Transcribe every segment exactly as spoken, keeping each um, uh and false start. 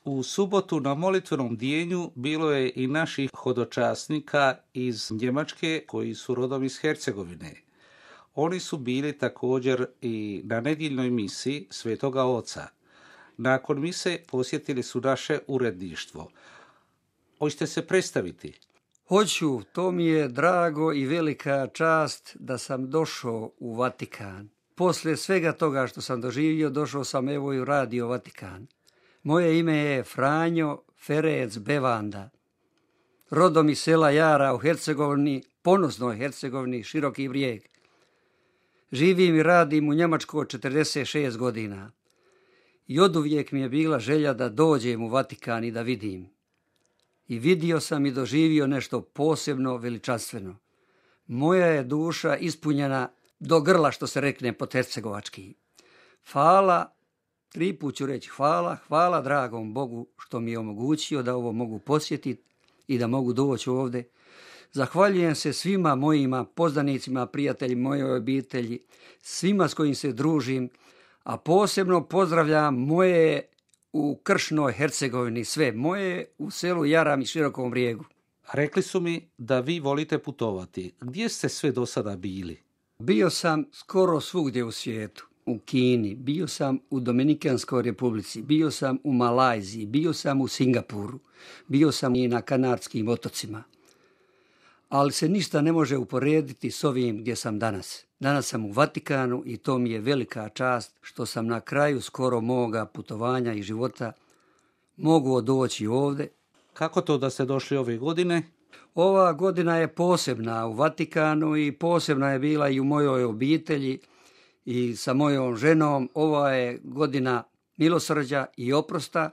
U subotu na molitvenom bdijenju bilo je i naših hodočasnika iz Njemačke koji su rodom iz Hercegovine. Oni su bili također i na nedjeljnoj misi Svetoga Oca. Nakon mise posjetili su naše uredništvo. Hoćete se predstaviti? Hoću, to mi je drago i velika čast da sam došao u Vatikan. Poslije svega toga što sam doživio, došao sam evo i u Radio Vatikan. Moje ime je Franjo Ferec Bevanda. Rodom iz sela Jara u Hercegovini, ponosnoj Hercegovini, Široki Brijeg. Živim i radim u Njemačkoj četrdeset šest godina. I oduvijek mi je bila želja da dođem u Vatikan i da vidim. I vidio sam i doživio nešto posebno veličanstveno. Moja je duša ispunjena do grla, što se rekne po hercegovački. Hvala, tri put ću reći hvala, hvala dragom Bogu što mi je omogućio da ovo mogu posjetiti i da mogu doći ovdje. Zahvaljujem se svima mojima poznanicima, prijatelji moje obitelji, svima s kojim se družim, a posebno pozdravljam moje u Kršnoj Hercegovini, sve moje u selu Jaram i Širokom Brijegu. Rekli su mi da vi volite putovati. Gdje ste sve do sada bili? Bio sam skoro svugdje u svijetu. U Kini, bio sam u Dominikanskoj Republici, bio sam u Malajziji, bio sam u Singapuru, bio sam i na Kanarskim otocima. Ali se ništa ne može uporediti s ovim gdje sam danas. Danas sam u Vatikanu i to mi je velika čast što sam na kraju skoro moga putovanja i života mogu doći ovdje. Kako to da ste došli ove godine? Ova godina je posebna u Vatikanu i posebna je bila i u mojoj obitelji i sa mojom ženom. Ova je godina milosrđa i oprosta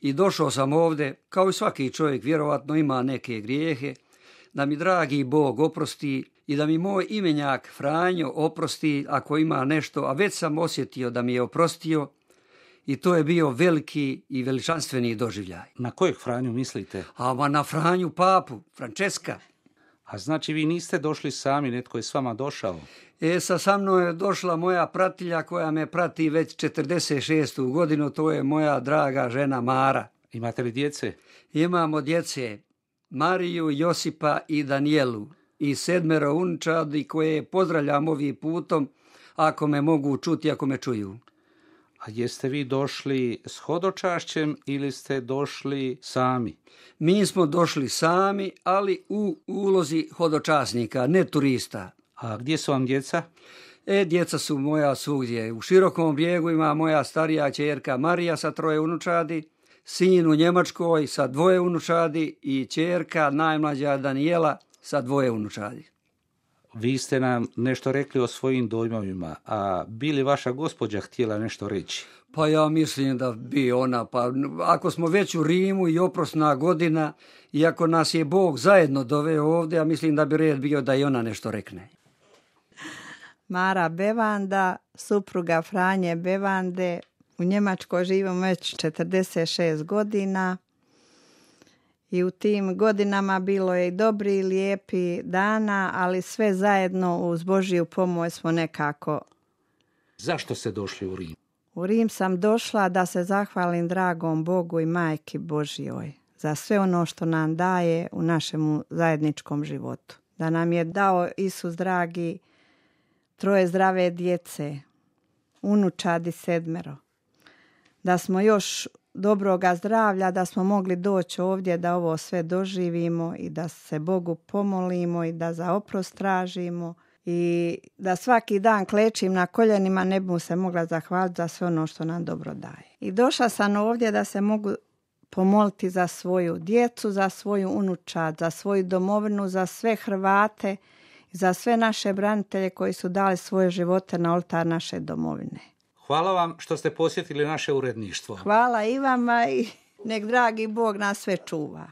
i došao sam ovdje, kao i svaki čovjek vjerovatno ima neke grijehe, da mi dragi Bog oprosti i da mi moj imenjak Franjo oprosti ako ima nešto, a već sam osjetio da mi je oprostio i to je bio veliki i veličanstveni doživljaj. Na kojeg Franju mislite? A ma na Franju papu, Frančeska. A znači vi niste došli sami, netko je s vama došao? E, sa, sa mnom je došla moja pratilja koja me prati već četrdeset šestu godinu, to je moja draga žena Mara. Imate li djece? Imamo djece, Mariju, Josipa i Danijelu i sedmero unčadi koje pozdravljam ovim putom ako me mogu čuti, ako me čuju. A jeste vi došli s hodočašćem ili ste došli sami? Mi smo došli sami, ali u ulozi hodočasnika, ne turista. A gdje su vam djeca? E, djeca su moja svugdje. U Širokom Brijegu ima moja starija ćerka Marija sa troje unučadi, sin u Njemačkoj sa dvoje unučadi i ćerka najmlađa Danijela sa dvoje unučadi. Vi ste nam nešto rekli o svojim dojmovima, a bi li vaša gospođa htjela nešto reći? Pa ja mislim da bi ona, pa ako smo već u Rimu i oprosna godina, i ako nas je Bog zajedno doveo ovdje, ja mislim da bi red bio da i ona nešto rekne. Mara Bevanda, supruga Franje Bevande, u Njemačkoj živim već četrdeset šest godina. I u tim godinama bilo je i dobri i lijepi dana, ali sve zajedno uz Božju pomoć smo nekako. Zašto ste došli u Rim? U Rim sam došla da se zahvalim dragom Bogu i Majki Božjoj za sve ono što nam daje u našem zajedničkom životu. Da nam je dao Isus dragi troje zdrave djece, unučadi sedmero. Da smo još dobroga zdravlja, da smo mogli doći ovdje da ovo sve doživimo i da se Bogu pomolimo i da za oprost tražimo i da svaki dan klečim na koljenima, ne bi mu se mogla zahvaliti za sve ono što nam dobro daje. I došla sam ovdje da se mogu pomoliti za svoju djecu, za svoju unučad, za svoju domovinu, za sve Hrvate, za sve naše branitelje koji su dali svoje živote na oltar naše domovine. Hvala vam što ste posjetili naše uredništvo. Hvala i vama i nek dragi Bog nas sve čuva.